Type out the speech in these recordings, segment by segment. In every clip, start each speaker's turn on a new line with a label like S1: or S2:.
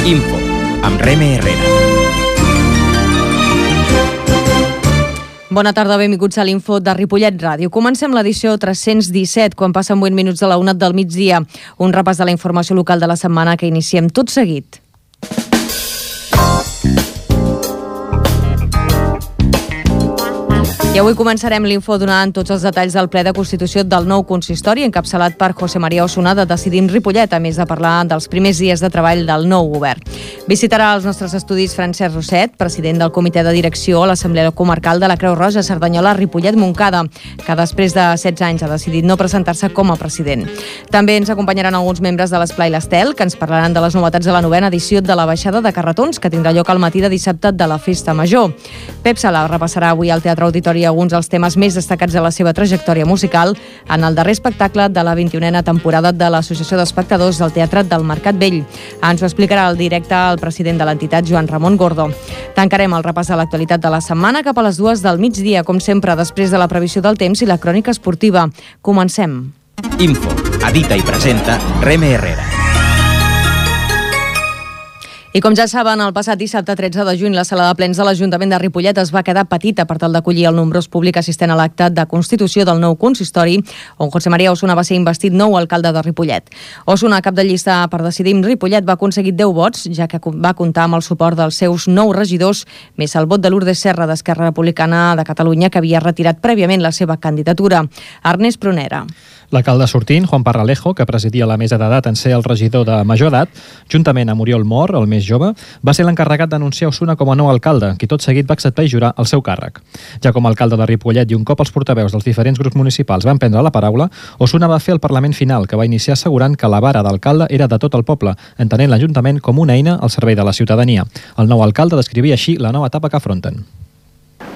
S1: Info, amb Reme Herrera.
S2: Bona tarda, benvinguts a l'Info de Ripollet Ràdio. Comencem l'edició 317, quan passen 8 minuts de la 1 del migdia. Un repàs de la informació local de la setmana que iniciem tot seguit. I avui començarem l'Info donant tots els detalls del ple de constitució del nou consistori, encapçalat per José María Osuna de Decidim Ripollet, a més de parlar dels primers dies de treball del nou govern. Visitarà els nostres estudis Francesc Roset, president del comitè de direcció a l'Assemblea Comarcal de la Creu Roja Cerdanyola Ripollet-Montcada, que després de 16 anys ha decidit no presentar-se com a president. També ens acompanyaran alguns membres de l'Esplai l'Estel, que ens parlaran de les novetats de la 9a edició de la baixada de carretons, que tindrà lloc al matí de dissabte de la Festa Major. Pep Sala repassarà avui al Teatre Auditori alguns dels temes més destacats de la seva trajectòria musical en el darrer espectacle de la 21a temporada de l'Associació d'Espectadors del Teatre del Mercat Vell. Ens ho explicarà al directe el president de l'entitat, Joan Ramon Gordo. Tancarem el repàs de l'actualitat de la setmana cap a les 2 del migdia, com sempre, després de la previsió del temps i la crònica esportiva. Comencem.
S1: Info, edita i presenta Reme Herrera.
S2: I com ja saben, el passat dissabte 13 de juny la sala de plens de l'Ajuntament de Ripollet es va quedar petita per tal d'acollir el nombrós públic assistent a l'acte de constitució del nou consistori, on José María Osuna va ser investit nou alcalde de Ripollet. Osuna, cap de llista per Decidim Ripollet, va aconseguir 10 vots, ja que va comptar amb el suport dels seus 9 regidors, més el vot de Lourdes Serra d'Esquerra Republicana de Catalunya, que havia retirat prèviament la seva candidatura. Ernest Prunera.
S3: L'alcalde sortint, Juan Parralejo, que presidia la mesa d'edat en ser el regidor de major edat, juntament amb Oriol Mor, el més jove, va ser l'encarregat d'anunciar Osuna com a nou alcalde, qui tot seguit va acceptar i jurar el seu càrrec. Ja com a alcalde de Ripollet i un cop els portaveus dels diferents grups municipals van prendre la paraula, Osuna va fer el Parlament final, que va iniciar assegurant que la vara d'alcalde era de tot el poble, entenent l'Ajuntament com una eina al servei de la ciutadania. El nou alcalde descrivia així la nova etapa que afronten.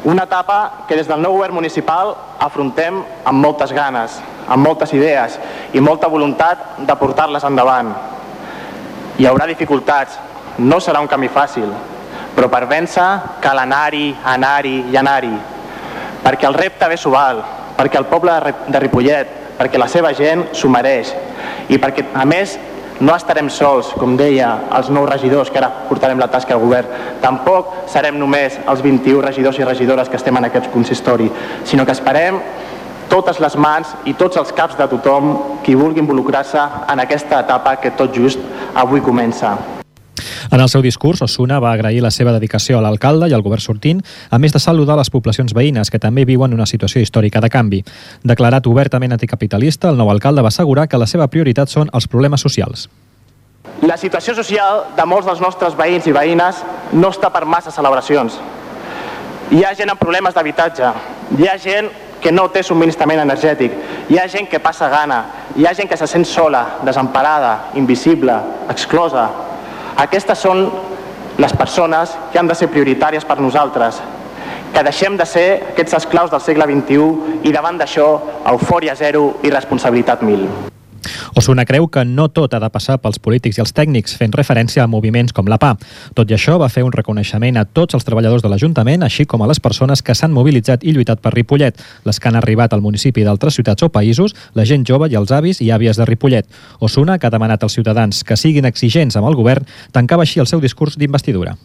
S4: Una etapa que des del nou govern municipal afrontem amb moltes ganes, amb moltes idees i molta voluntat de portar-les endavant. Hi haurà dificultats, no serà un camí fàcil, però per vèncer cal anar-hi, anar-hi i anar-hi, perquè el repte bé s'ho val, perquè el poble de Ripollet, perquè la seva gent s'ho mereix i perquè, a més, no estarem sols, com deia, els 9 regidors que ara portarem la tasca al govern. Tampoc serem només els 21 regidors i regidores que estem en aquest consistori, sinó que esperem totes les mans i tots els caps de tothom qui vulgui involucrar-se en aquesta etapa que tot just avui comença.
S3: En el seu discurs, Osuna va agrair la seva dedicació a l'alcalde i al govern sortint, a més de saludar les poblacions veïnes que també viuen una situació històrica de canvi. Declarat obertament anticapitalista, el nou alcalde va assegurar que la seva prioritat són els problemes socials.
S4: La situació social de molts dels nostres veïns i veïnes no està per massa celebracions. Hi ha gent amb problemes d'habitatge, hi ha gent que no té subministrament energètic, hi ha gent que passa gana, hi ha gent que se sent sola, desemparada, invisible, exclosa. Aquestes són les persones que han de ser prioritàries per nosaltres, que deixem de ser aquests esclaus del segle XXI i davant d'això, eufòria zero i responsabilitat 1000.
S3: Osuna creu que no tot ha de passar pels polítics i els tècnics, fent referència a moviments com la PA. Tot i això, va fer un reconeixement a tots els treballadors de l'Ajuntament, així com a les persones que s'han mobilitzat i lluitat per Ripollet, les que han arribat al municipi d'altres ciutats o països, la gent jove i els avis i àvies de Ripollet. Osuna, que ha demanat als ciutadans que siguin exigents amb el govern, tancava així el seu discurs d'investidura.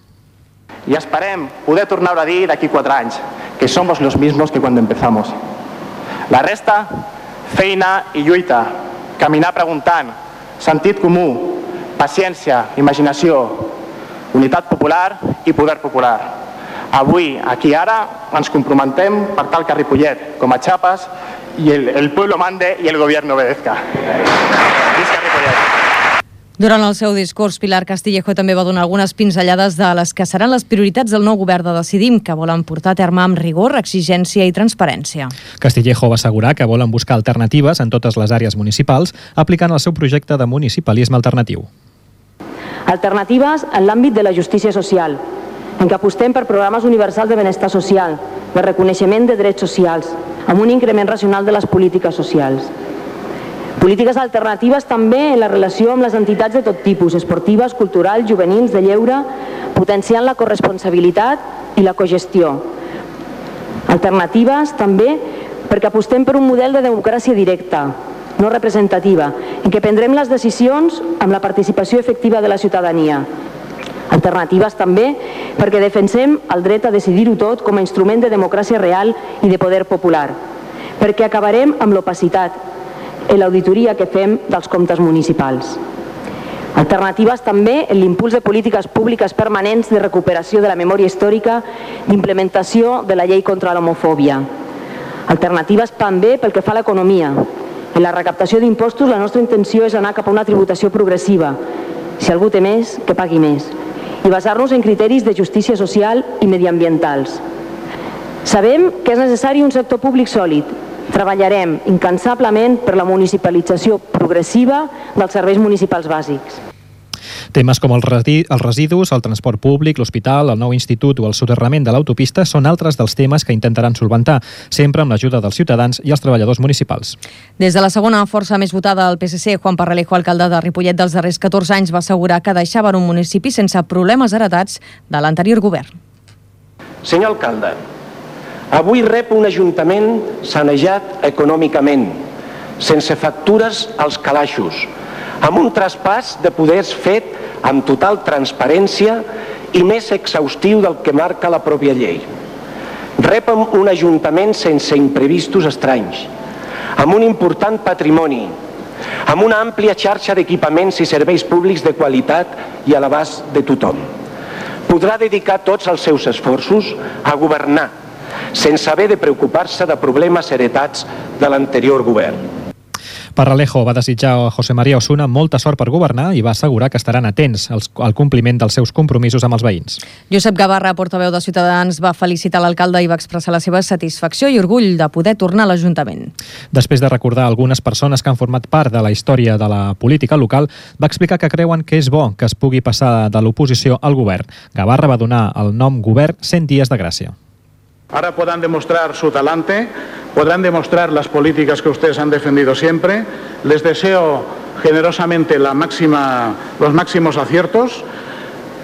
S4: I esperem poder tornar a dir d'aquí 4 anys que somos los mismos que cuando empezamos. La resta, feina i lluita. Caminar preguntant, sentit comú, paciència, imaginació, unitat popular i poder popular. Avui, aquí ara, ens comprometem per tal que Ripollet, com a Chiapas, i el pueblo mande i el gobierno obedezca. Visca Ripollet!
S2: Durant el seu discurs, Pilar Castillejo també va donar algunes pinzellades de les que seran les prioritats del nou govern de Decidim, que volen portar a terme amb rigor, exigència i transparència.
S3: Castillejo va assegurar que volen buscar alternatives en totes les àrees municipals, aplicant el seu projecte de municipalisme alternatiu.
S5: Alternatives en l'àmbit de la justícia social, en què apostem per programes universals de benestar social, de reconeixement de drets socials, amb un increment racional de les polítiques socials. Polítiques alternatives també en la relació amb les entitats de tot tipus, esportives, culturals, juvenils, de lleure, potenciant la corresponsabilitat i la cogestió. Alternatives també perquè apostem per un model de democràcia directa, no representativa, en què prendrem les decisions amb la participació efectiva de la ciutadania, Alternatives també perquè defensem el dret a decidir-ho tot com a instrument de democràcia real i de poder popular, perquè acabarem amb l'opacitat en l'auditoria que fem dels comptes municipals. Alternatives també en l'impuls de polítiques públiques permanents de recuperació de la memòria històrica, d'implementació de la llei contra l'homofòbia. Alternatives també pel que fa a l'economia. En la recaptació d'impostos la nostra intenció és anar cap a una tributació progressiva. Si algú té més, que pagui més. I basar-nos en criteris de justícia social i mediambientals. Sabem que és necessari un sector públic sòlid. Treballarem incansablement per la municipalització progressiva dels serveis municipals bàsics.
S3: Temes com els residus, el transport públic, l'hospital, el nou institut o el soterrament de l'autopista són altres dels temes que intentaran solventar, sempre amb l'ajuda dels ciutadans i els treballadors municipals.
S2: Des de la segona força més votada del PSC, Juan Parralejo, alcalde de Ripollet dels darrers 14 anys, va assegurar que deixaven un municipi sense problemes heretats de l'anterior govern.
S6: Senyor alcalde, avui rep un ajuntament sanejat econòmicament, sense factures als calaixos, amb un traspàs de poders fet amb total transparència i més exhaustiu del que marca la pròpia llei. Rep un ajuntament sense imprevistos estranys, amb un important patrimoni, amb una àmplia xarxa d'equipaments i serveis públics de qualitat i a l'abast de tothom. Podrà dedicar tots els seus esforços a governar, sense haver de preocupar-se de problemes heretats de l'anterior govern.
S3: Parralejo va desitjar a José María Osuna molta sort per governar i va assegurar que estaran atents al compliment dels seus compromisos amb els veïns.
S2: Josep Gavarra, portaveu de Ciutadans, va felicitar l'alcalde i va expressar la seva satisfacció i orgull de poder tornar a l'Ajuntament.
S3: Després de recordar algunes persones que han format part de la història de la política local, va explicar que creuen que és bo que es pugui passar de l'oposició al govern. Gavarra va donar el nom govern 100 dies de gràcia.
S7: Ahora podrán demostrar su talante, podrán demostrar las políticas que ustedes han defendido siempre. Les deseo generosamente los máximos aciertos.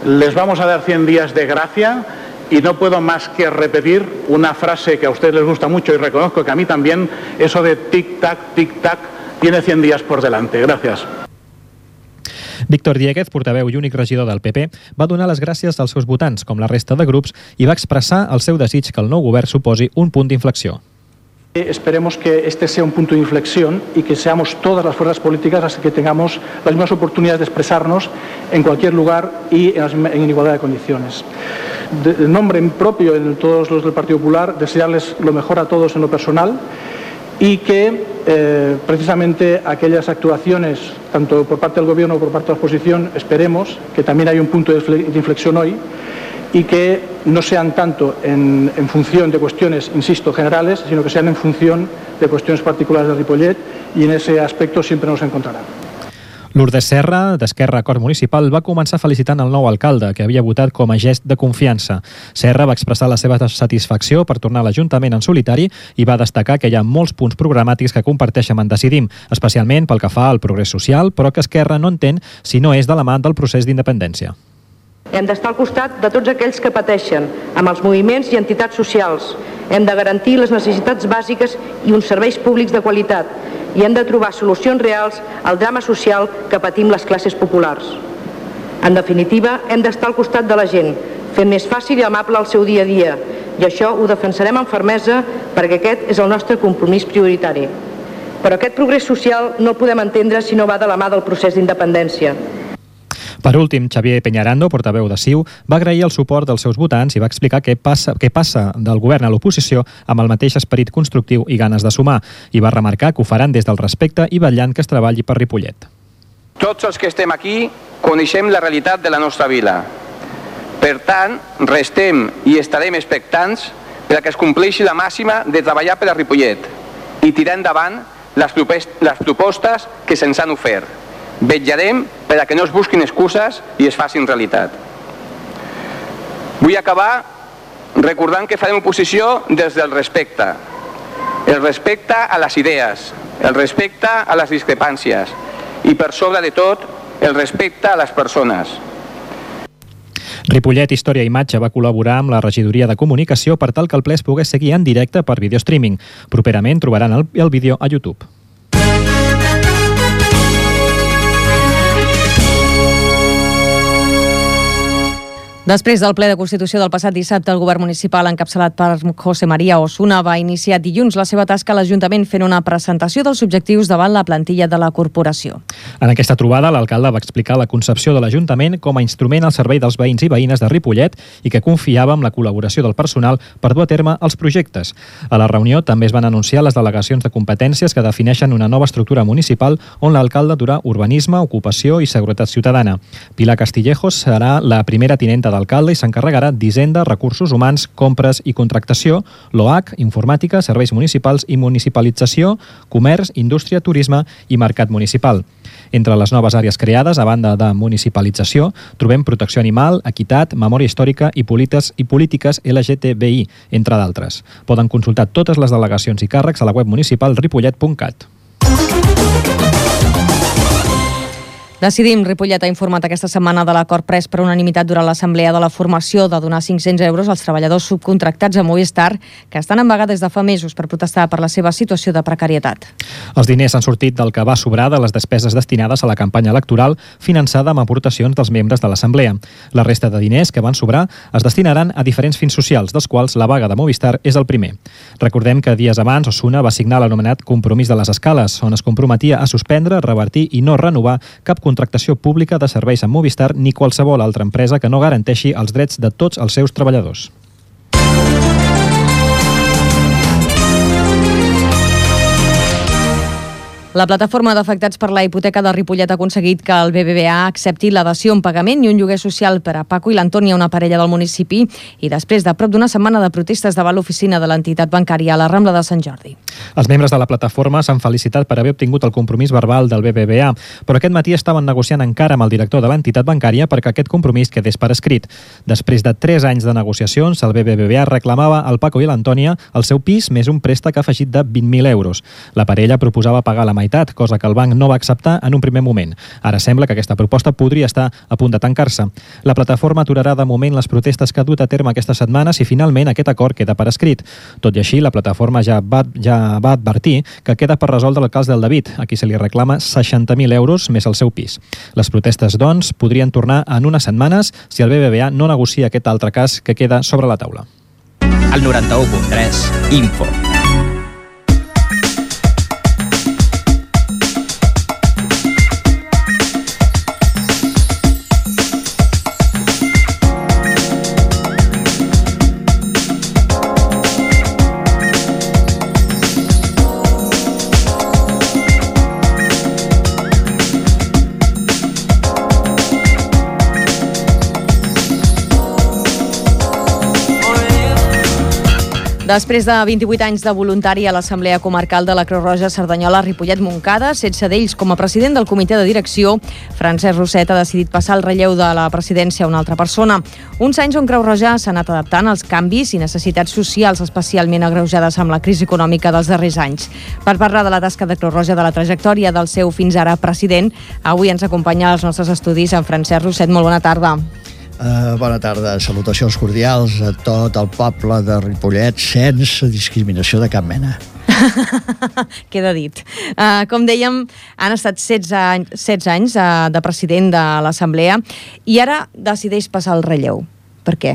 S7: Les vamos a dar 100 días de gracia y no puedo más que repetir una frase que a ustedes les gusta mucho y reconozco que a mí también, eso de tic-tac, tiene 100 días por delante. Gracias.
S3: Víctor Dieguez, portaveu i únic regidor del PP, va donar les gràcies als seus votants, com la resta de grups, i va expressar el seu desig que el nou govern suposi un punt d'inflexió.
S8: Esperemos que este sea un punto de inflexión y que seamos todas las fuerzas políticas las que tengamos las mismas oportunidades de expresarnos en cualquier lugar y en igualdad de condiciones. De nombre propio en todos los del Partido Popular, desearles lo mejor a todos en lo personal y que precisamente aquellas actuaciones, tanto por parte del Gobierno como por parte de la oposición, esperemos que también haya un punto de inflexión hoy y que no sean tanto en función de cuestiones, insisto, generales, sino que sean en función de cuestiones particulares de Ripollet, y en ese aspecto siempre nos encontrarán.
S3: Lourdes Serra, d'Esquerra Acord Municipal, va començar felicitant el nou alcalde, que havia votat com a gest de confiança. Serra va expressar la seva satisfacció per tornar a l'Ajuntament en solitari i va destacar que hi ha molts punts programàtics que comparteixen en Decidim, especialment pel que fa al progrés social, però que Esquerra no entén si no és de la mà del procés d'independència.
S9: Hem d'estar al costat de tots aquells que pateixen, amb els moviments i entitats socials. Hem de garantir les necessitats bàsiques i uns serveis públics de qualitat i hem de trobar solucions reals al drama social que patim les classes populars. En definitiva, hem d'estar al costat de la gent, fent més fàcil i amable el seu dia a dia, i això ho defensarem amb fermesa perquè aquest és el nostre compromís prioritari. Però aquest progrés social no el podem entendre si no va de la mà del procés d'independència.
S3: Per últim, Xavier Peñarando, portaveu de CiU, va agrair el suport dels seus votants i va explicar què passa del govern a l'oposició amb el mateix esperit constructiu i ganes de sumar, i va remarcar que ho faran des del respecte i vetllant que es treballi per Ripollet.
S10: Tots els que estem aquí coneixem la realitat de la nostra vila. Per tant, restem i estarem expectants per a que es compleixi la màxima de treballar per a Ripollet i tirar endavant les propostes que se'ns han ofert. Vetllarem per a que no es busquin excuses i es facin realitat. Vull acabar recordant que farem oposició des del respecte. El respecte a les idees, el respecte a les discrepàncies i, per sobre de tot, el respecte a les persones.
S3: Ripollet Història i Imatge va col·laborar amb la regidoria de comunicació per tal que el ple es pogués seguir en directe per videostreaming. Properament trobaran el vídeo a YouTube.
S2: Després del ple de Constitució del passat dissabte, el govern municipal, encapçalat per José María Osuna, va iniciar dilluns la seva tasca a l'Ajuntament fent una presentació dels objectius davant la plantilla de la corporació.
S3: En aquesta trobada, l'alcalde va explicar la concepció de l'Ajuntament com a instrument al servei dels veïns i veïnes de Ripollet i que confiava en la col·laboració del personal per dur a terme els projectes. A la reunió també es van anunciar les delegacions de competències que defineixen una nova estructura municipal on l'alcalde durà urbanisme, ocupació i seguretat ciutadana. Pilar Castillejos serà la primera tinenta d'alcalde i s'encarregarà d'Hisenda, Recursos Humans, Compres i Contractació, l'OH, Informàtica, Serveis Municipals i Municipalització, Comerç, Indústria, Turisme i Mercat Municipal. Entre les noves àrees creades, a banda de municipalització, trobem protecció animal, equitat, memòria històrica i polítiques LGTBI, entre d'altres. Poden consultar totes les delegacions i càrrecs a la web municipal ripollet.cat.
S2: Decidim, Ripollet ha informat aquesta setmana de l'acord pres per unanimitat durant l'assemblea de la formació de donar 500 euros als treballadors subcontractats a Movistar que estan en vaga des de fa mesos per protestar per la seva situació de precarietat.
S3: Els diners han sortit del que va sobrar de les despeses destinades a la campanya electoral finançada amb aportacions dels membres de l'assemblea. La resta de diners que van sobrar es destinaran a diferents fins socials, dels quals la vaga de Movistar és el primer. Recordem que dies abans Osuna va signar l'anomenat Compromís de les Escales, on es comprometia a suspendre, revertir i no renovar cap contractació pública de serveis amb Movistar ni qualsevol altra empresa que no garanteixi els drets de tots els seus treballadors.
S2: La plataforma d'afectats per la hipoteca de Ripollet ha aconseguit que el BBVA accepti la dació en pagament i un lloguer social per a Paco i l'Antònia, una parella del municipi, i després de prop d'una setmana de protestes davant l'oficina de l'entitat bancària a la Rambla de Sant Jordi.
S3: Els membres de la plataforma s'han felicitat per haver obtingut el compromís verbal del BBVA, però aquest matí estaven negociant encara amb el director de l'entitat bancària perquè aquest compromís quedés per escrit. Després de 3 anys de negociacions, el BBVA reclamava al Paco i l'Antònia el seu pis més un préstec afegit de 20.000 euros. La parella proposava pagar la meitat, cosa que el banc no va acceptar en un primer moment. Ara sembla que aquesta proposta podria estar a punt de tancar-se. La plataforma aturarà de moment les protestes que ha dut a terme aquesta setmana si finalment aquest acord queda per escrit. Tot i així, la plataforma ja va advertir que queda per resoldre el cas del David, a qui se li reclama 60.000 euros més el seu pis. Les protestes, doncs, podrien tornar en unes setmanes si el BBVA no negocia aquest altre cas que queda sobre la taula.
S1: El 91.3 Info.
S2: Després de 28 anys de voluntari a l'Assemblea Comarcal de la Creu Roja Cerdanyola Ripollet-Montcada, sense d'ells com a president del comitè de direcció, Francesc Roset ha decidit passar el relleu de la presidència a una altra persona. Uns anys on Creu Roja s'ha anat adaptant als canvis i necessitats socials especialment agreujades amb la crisi econòmica dels darrers anys. Per parlar de la tasca de Creu Roja, de la trajectòria del seu fins ara president, avui ens acompanya als nostres estudis en Francesc Roset. Molt bona tarda.
S11: Bona tarda, salutacions cordials a tot el poble de Ripollet sense discriminació de cap mena.
S2: Queda dit. Com dèiem, han estat 16 anys de president de l'Assemblea i ara decideix passar el relleu. Per què?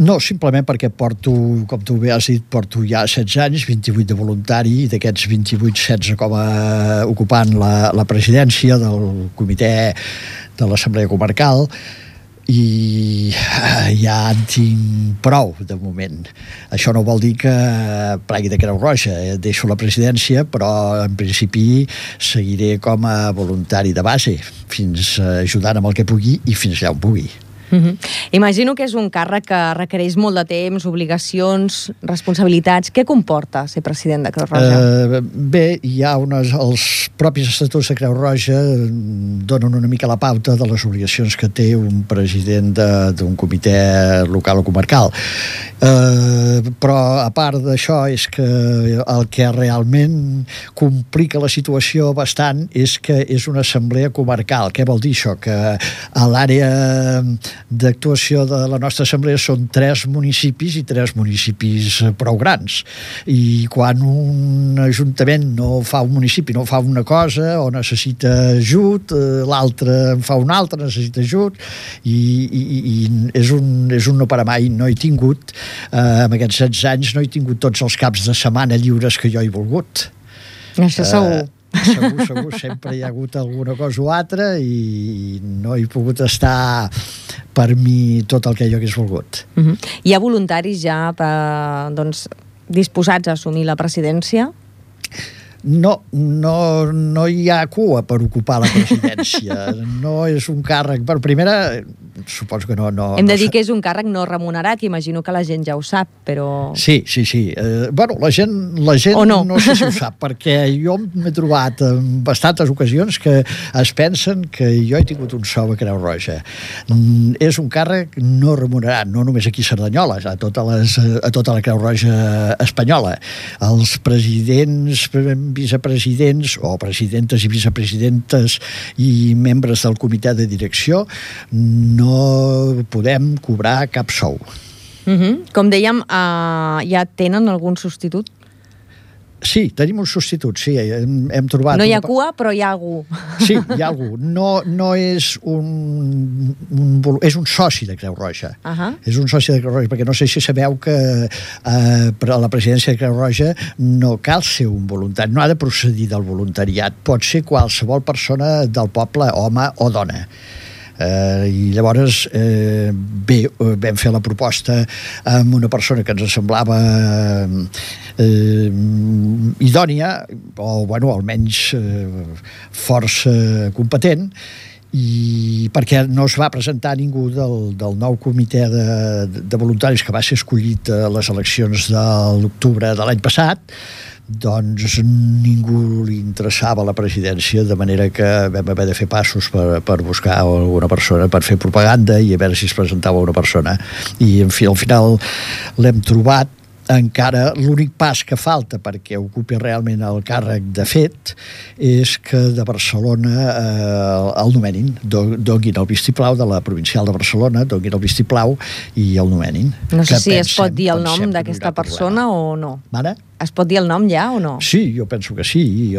S11: No, simplement perquè porto, com tu bé has dit, porto ja 16 anys, 28 de voluntari, i d'aquests 28, 16 com a ocupant la presidència del comitè de l'Assemblea Comarcal, i ja en tinc prou de moment. Això no vol dir que plegui de Creu Roja, deixo la presidència, però en principi seguiré com a voluntari de base, fins ajudant amb el que pugui i fins allà on pugui.
S2: Imagino que és un càrrec que requereix molt de temps, obligacions, responsabilitats. Què comporta ser president de Creu Roja?
S11: Bé, hi ha els propis estatuts de Creu Roja donen una mica la pauta de les obligacions que té un president d'un comitè local o comarcal. Però a part d'això és que el que realment complica la situació bastant és que és una assemblea comarcal. Què vol dir això? Que a l'àrea d'actuació de la nostra assemblea són 3 municipis i 3 municipis prou grans. I quan un ajuntament no fa un municipi, no fa una cosa o necessita ajut, l'altre en fa una altra, necessita ajut, i és un no parar mai. No he tingut, en aquests 16 anys, no he tingut tots els caps de setmana lliures que jo he volgut.
S2: Això segur.
S11: Segur, sempre hi ha hagut alguna cosa o altra i no he pogut estar per mi tot el que jo hagués volgut.
S2: Hi ha voluntaris ja disposats a assumir la presidència?
S11: No hi ha cua per ocupar la presidència. No és un càrrec. Per primera, suposo que no...
S2: Hem de dir que és un càrrec no remunerat, imagino que la gent ja ho sap, però...
S11: Sí. Bueno, la gent no sé si ho sap, perquè jo m'he trobat en bastantes ocasions que es pensen que jo he tingut un sou a Creu Roja. És un càrrec no remunerat, no només aquí a Cerdanyola, a tota la Creu Roja espanyola. Els presidents, vicepresidents o presidentes i vicepresidentes i membres del comitè de direcció no podem cobrar cap sou.
S2: Com dèiem, ja tenen algun substitut?
S11: Sí, tenim un substitut, sí, hem trobat...
S2: No hi ha cua, però hi ha algú.
S11: Sí, hi ha algú. No és és un soci de Creu Roja. És un soci de Creu Roja, perquè no sé si sabeu que per a la presidència de Creu Roja no cal ser un voluntari, no ha de procedir del voluntariat, pot ser qualsevol persona del poble, home o dona. I llavors vam fer la proposta amb una persona que ens semblava idònia o almenys força competent, i perquè no es va presentar ningú del nou comitè de voluntaris que va ser escollit a les eleccions de l'octubre de l'any passat. Doncs ningú li interessava la presidència, de manera que vam haver de fer passos per buscar alguna persona, per fer propaganda i a veure si es presentava una persona. I en fi, al final l'hem trobat. Encara l'únic pas que falta perquè ocupi realment el càrrec de fet és que de Barcelona el nomenin, donin el vistiplau de la provincial de Barcelona, donin el vistiplau i el nomenin.
S2: No sé si es pot dir el nom d'aquesta persona o no.
S11: Mare?
S2: Es pot dir el nom ja o no?
S11: Sí, jo penso que sí.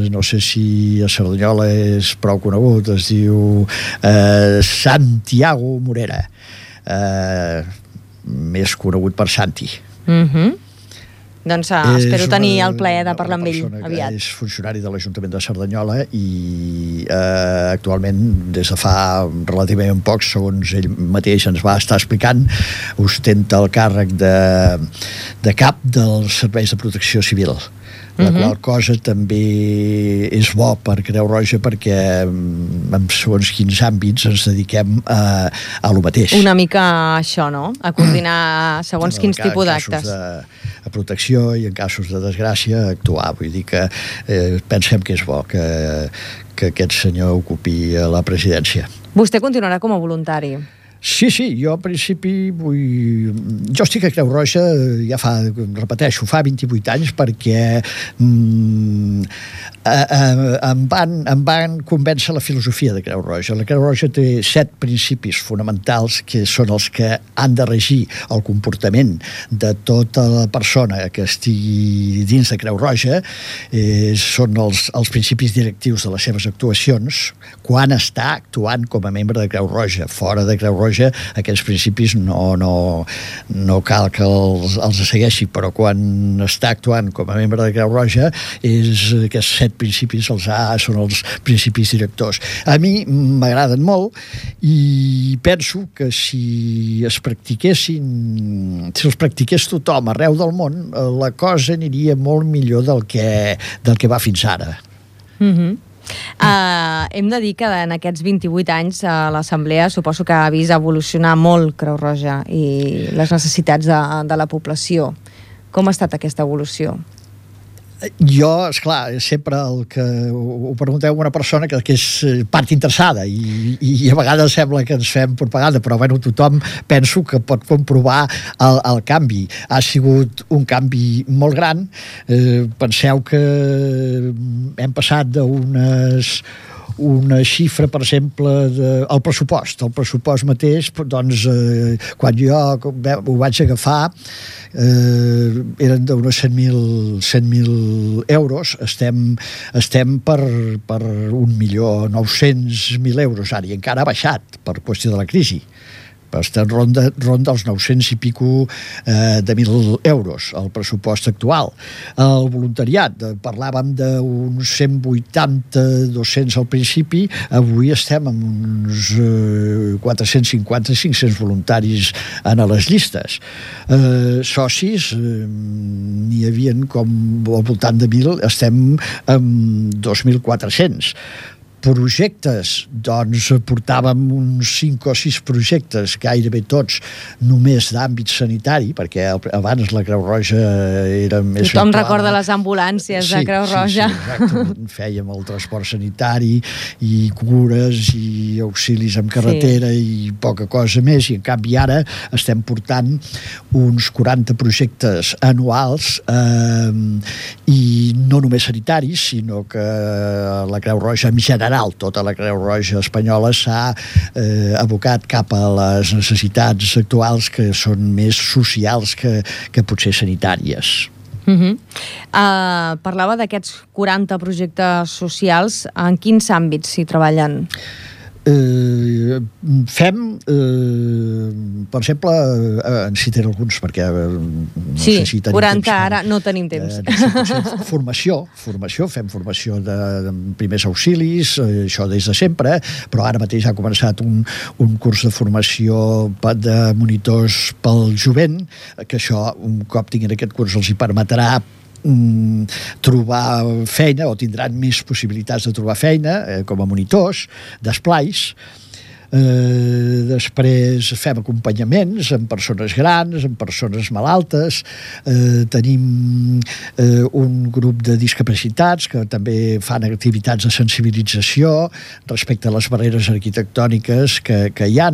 S11: No sé si a Cerdanyola és prou conegut, es diu Santiago Morera, més conegut per Santi.
S2: Doncs espero tenir el plaer de parlar amb ell aviat.
S11: És funcionari de l'Ajuntament de Cerdanyola i actualment, des de fa relativament poc, segons ell mateix ens va estar explicant, ostenta el càrrec de cap dels serveis de protecció civil. La qual cosa també és bo per Creu Roja perquè en segons quins àmbits ens dediquem a lo mateix.
S2: Una mica això, no? A coordinar segons quins tipus d'actes.
S11: En casos de protecció i en casos de desgràcia actuar. Vull dir que pensem que és bo que aquest senyor ocupi la presidència.
S2: Vostè continuarà com a voluntari?
S11: Sí, jo al principi jo estic a Creu Roja ja repeteixo, fa 28 anys perquè em van convèncer la filosofia de Creu Roja. La Creu Roja té 7 principis fonamentals que són els que han de regir el comportament de tota la persona que estigui dins de Creu Roja. Són els principis directius de les seves actuacions quan està actuant com a membre de Creu Roja. Fora de Creu Roja aquests principis no cal que els segueixi, però quan està actuant com a membre de Creu Roja aquests 7 principis són els principis directors. A mi m'agraden molt i penso que si els practiqués tothom arreu del món, la cosa aniria molt millor del que va fins ara.
S2: Hem de dir que en aquests 28 anys l'Assemblea suposo que ha vist evolucionar molt Creu Roja i les necessitats de la població. Com ha estat aquesta evolució?
S11: Jo, esclar, sempre el que ho pregunteu a una persona que és part interessada i a vegades sembla que ens fem propaganda, però tothom penso que pot comprovar el canvi. Ha sigut un canvi molt gran. Penseu que hem passat d'unes una xifra, per exemple, el pressupost mateix, doncs, quan jo ho vaig agafar, eren d'uns 100.000 euros, estem per 1.900.000 euros ara, i encara ha baixat per qüestió de la crisi. Estem ronda els 900 i pico de 1.000 euros, el pressupost actual. El voluntariat, parlàvem d'uns 180-200 al principi, avui estem amb uns 450-500 voluntaris en les llistes. Socis, n'hi havia com al voltant de 1.000, estem amb 2.400. Projectes, doncs portàvem uns 5 o 6 projectes, gairebé tots només d'àmbit sanitari, perquè abans la Creu Roja era més...
S2: Tothom recorda les ambulàncies de Creu Roja.
S11: Sí, exactament. Fèiem el transport sanitari i cures i auxilis en carretera i poca cosa més, i en canvi ara estem portant uns 40 projectes anuals i no només sanitaris, sinó que la Creu Roja en general, tota la Creu Roja espanyola s'ha abocat cap a les necessitats actuals que són més socials que potser sanitàries.
S2: Parlava d'aquests 40 projectes socials. En quins àmbits s'hi treballen?
S11: Fem, per exemple, en citaré alguns perquè no sé si tenim
S2: 40
S11: temps.
S2: Ara no tenim temps.
S11: Formació, fem formació de primers auxilis, això des de sempre, però ara mateix ha començat un curs de formació de monitors pel jovent, que això, un cop tinguin aquest curs, els hi permetrà trobar feina, o tindran més possibilitats de trobar feina com a monitors d'esplais. Després fem acompanyaments amb persones grans, amb persones malaltes, tenim un grup de discapacitats que també fan activitats de sensibilització respecte a les barreres arquitectòniques que hi ha,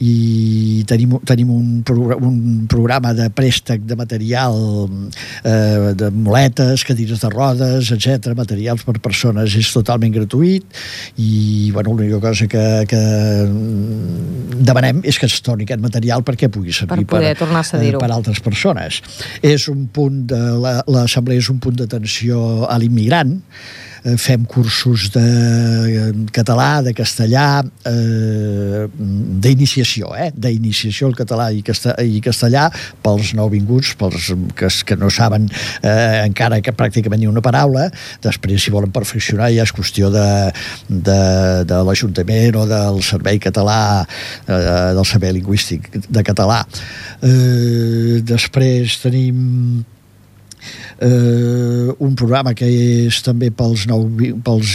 S11: i tenim un programa de préstec de material, de muletes, cadires de rodes, etc., materials per persones, és totalment gratuït, i l'única cosa que demanem és que es torni aquest material perquè pugui servir per altres persones. És un punt de l'assemblea, és un punt d'atenció a l'immigrant. Fem cursos de català, de castellà, d'iniciació al català i castellà pels nouvinguts, pels que no saben encara que pràcticament ni una paraula. Després, si volen perfeccionar, ja és qüestió de l'Ajuntament o del Servei Català, del Servei Lingüístic de Català. Després tenim un programa que és també pels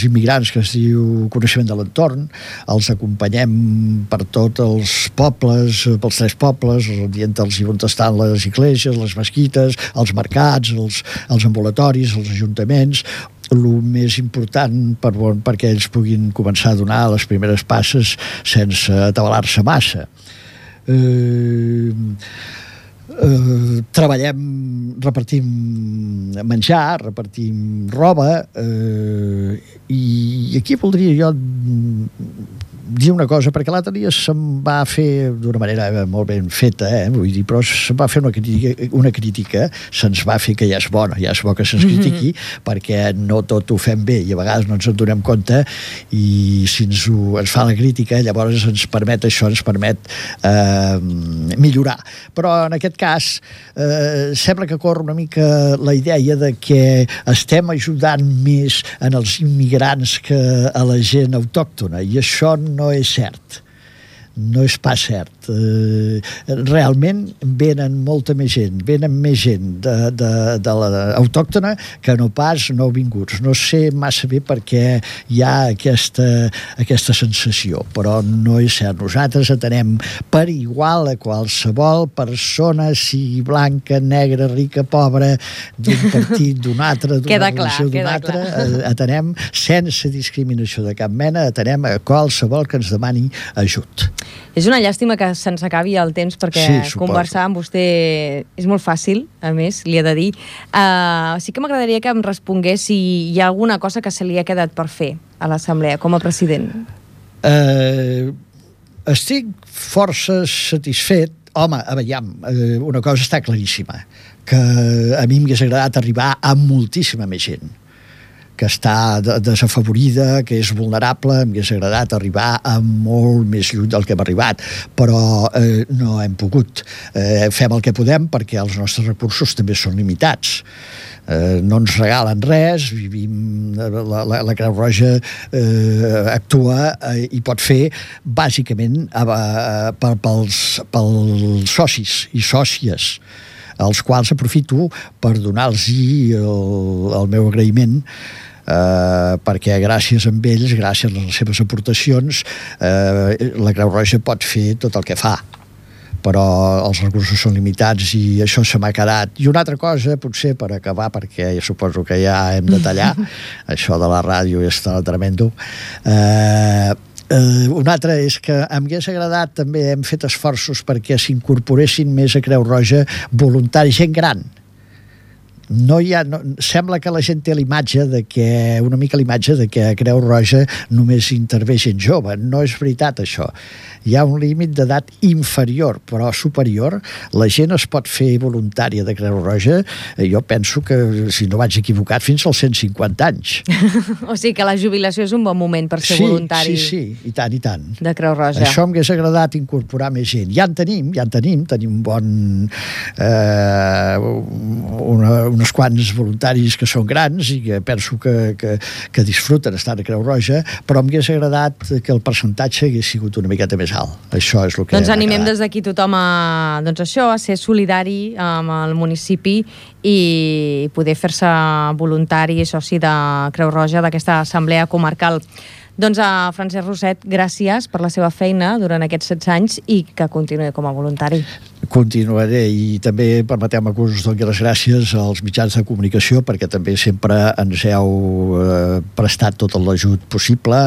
S11: immigrants, que es diu Coneixement de l'Entorn. Els acompanyem per tots els pobles, pels 3 pobles, dient-los on estan les esglésies, les mesquites, els mercats, els ambulatoris, els ajuntaments. El més important perquè ells puguin començar a donar les primeres passes sense atabalar-se massa. Treballem, repartim menjar, repartim roba, i aquí voldria jo dir una cosa, perquè l'altre dia se'm va fer d'una manera molt ben feta, vull dir, però se'm va fer una crítica, se'ns va fer que ja és bo que se'ns critiqui, perquè no tot ho fem bé i a vegades no ens en donem compte, i si ens fa la crítica, llavors ens permet millorar. Però en aquest cas sembla que corre una mica la idea de que estem ajudant més en els immigrants que a la gent autòctona, i això no és cert. No és pas cert. Realment venen molta més gent, de l'autòctona que no pas nouvinguts. No sé massa bé perquè hi ha aquesta sensació, però no és cert. Nosaltres atenem per igual a qualsevol persona, sigui blanca, negra, rica, pobra, d'un partit, d'un altre, d'una religió, d'un altre. Atenem sense discriminació de cap mena, atenem a qualsevol que ens demani ajut.
S2: És una llàstima que se'ns acabi el temps, perquè conversar amb vostè és molt fàcil, a més, li he de dir. Sí que m'agradaria que em respongués si hi ha alguna cosa que se li ha quedat per fer a l'Assemblea com a president.
S11: Estic força satisfet. Home, aviam, una cosa està claríssima, que a mi m'hagués agradat arribar a moltíssima més gent que està desafavorida, que és vulnerable. M'hagués agradat arribar a molt més lluny del que hem arribat, però no hem pogut. Fem el que podem perquè els nostres recursos també són limitats. No ens regalen res, vivim, la Creu Roja actua i pot fer bàsicament pels socis i sòcies, als quals aprofito per donar-los el meu agraïment, perquè gràcies a ells, gràcies a les seves aportacions, la Creu Roja pot fer tot el que fa, però els recursos són limitats i això se m'ha quedat. I una altra cosa, potser per acabar, perquè suposo que ja hem de tallar, això de la ràdio és tremendo. Una altra és que em hagués agradat, també hem fet esforços perquè s'incorporessin més a Creu Roja voluntaris, gent gran. Sembla que la gent té una mica l'imatge de que a Creu Roja només intervé gent jove. No és veritat, això. Hi ha un límit d'edat inferior, però superior. La gent es pot fer voluntària de Creu Roja, jo penso que, si no vaig equivocat, fins als 150 anys.
S2: O sigui que la jubilació és un bon moment per ser voluntari.
S11: Sí, i tant, i tant.
S2: De Creu Roja.
S11: Això m'hagués agradat incorporar més gent. Ja en tenim un bon... uns quants voluntaris que són grans i que penso que disfruten estar a Creu Roja, però m'hagués agradat que el percentatge hagués sigut una miqueta més alt. Això és el que...
S2: Doncs animem des d'aquí tothom a ser solidari amb el municipi i poder fer-se voluntari i soci de Creu Roja d'aquesta assemblea comarcal. Doncs a Francesc Roset, gràcies per la seva feina durant aquests 16 anys i que continuï com a voluntari.
S11: Continuaré, i també permeteu-me que us doni les gràcies als mitjans de comunicació, perquè també sempre ens heu prestat tot l'ajut possible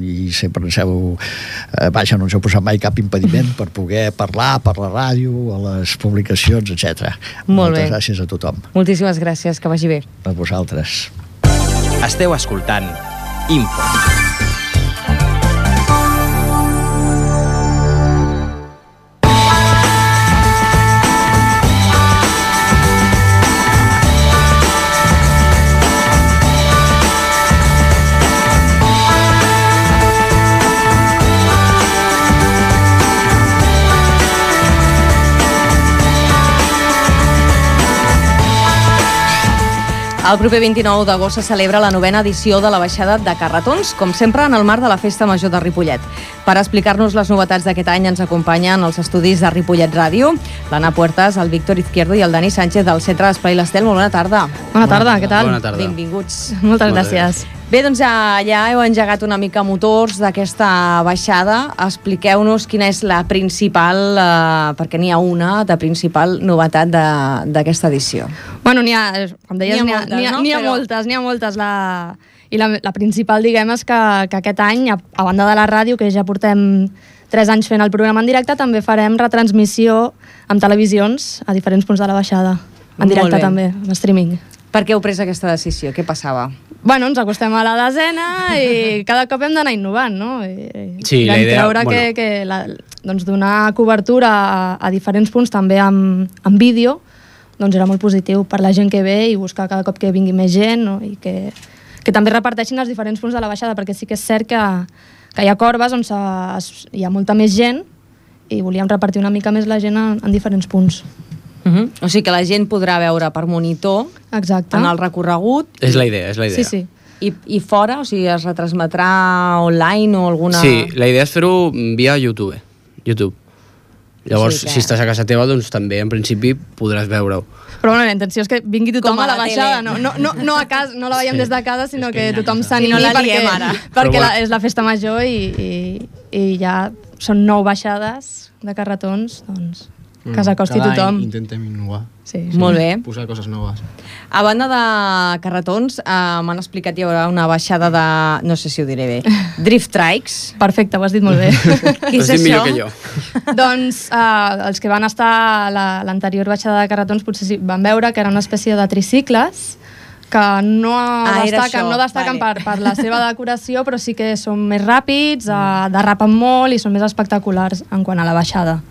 S11: i sempre ens heu no ens heu posat mai cap impediment per poder parlar per la ràdio, a les publicacions, etc. Moltes gràcies a tothom.
S2: Moltíssimes gràcies, que vagi bé.
S11: A vosaltres.
S1: Esteu escoltant Info.
S2: El proper 29 d'agost se celebra la 9a edició de la baixada de Carretons, com sempre en el marc de la Festa Major de Ripollet. Per explicar-nos les novetats d'aquest any ens acompanyen els estudis de Ripollet Ràdio, l'Anna Puertas, el Víctor Izquierdo i el Dani Sánchez del Centre d'Esplai l'Estel. Molt bona tarda.
S12: Bona tarda, què tal?
S13: Bona tarda.
S2: Benvinguts.
S12: Moltes gràcies.
S2: Bé, doncs ja heu engegat una mica motors d'aquesta baixada. Expliqueu-nos quina és la principal, perquè n'hi ha una, de principal novetat d'aquesta edició.
S12: Bueno, com deies, n'hi ha moltes. I la principal, diguem, és que aquest any, a banda de la ràdio, que ja portem 3 anys fent el programa en directe, també farem retransmissió amb televisions a diferents punts de la baixada. En directe també, en streaming.
S2: Per què heu pres aquesta decisió? Què passava?
S12: Bueno, ens acostem a la desena i cada cop hem d'anar innovant, no?
S13: Sí, la idea...
S12: Doncs donar cobertura a diferents punts, també amb vídeo, doncs era molt positiu per la gent que ve i buscar cada cop que vingui més gent, no? I que també reparteixin els diferents punts de la baixada, perquè sí que és cert que hi ha corbes on hi ha molta més gent i volíem repartir una mica més la gent en diferents punts.
S2: O sigui que la gent podrà veure per monitor.
S12: Exacte.
S2: En el recorregut.
S13: És la idea.
S12: Sí.
S2: I fora? O sigui, es retransmetrà online o alguna...
S13: Sí, la idea és fer-ho via YouTube. Llavors, si estàs a casa teva, doncs també, en principi, podràs veure-ho.
S12: Però bueno, la intenció és que vingui tothom a la baixada, no a casa, no la veiem des de casa, sinó que tothom s'animi perquè és la festa major i ja són 9 baixades de carretons, doncs... que s'acosti tothom.
S14: Intentem innovar.
S12: Sí.
S2: Molt bé.
S14: Posar coses noves.
S2: A banda de carretons, m'han explicat hi haurà una baixada de, no sé si ho diré bé, drift trikes.
S12: Perfecte, ho has dit molt bé.
S2: Què és
S13: Has dit
S2: això?
S13: millor que jo.
S12: Doncs els que van estar a l'anterior baixada de carretons potser sí, van veure que era una espècie de tricicles que no destaquen per la seva decoració, però sí que són més ràpids, derrapen molt i són més espectaculars en quant a la baixada.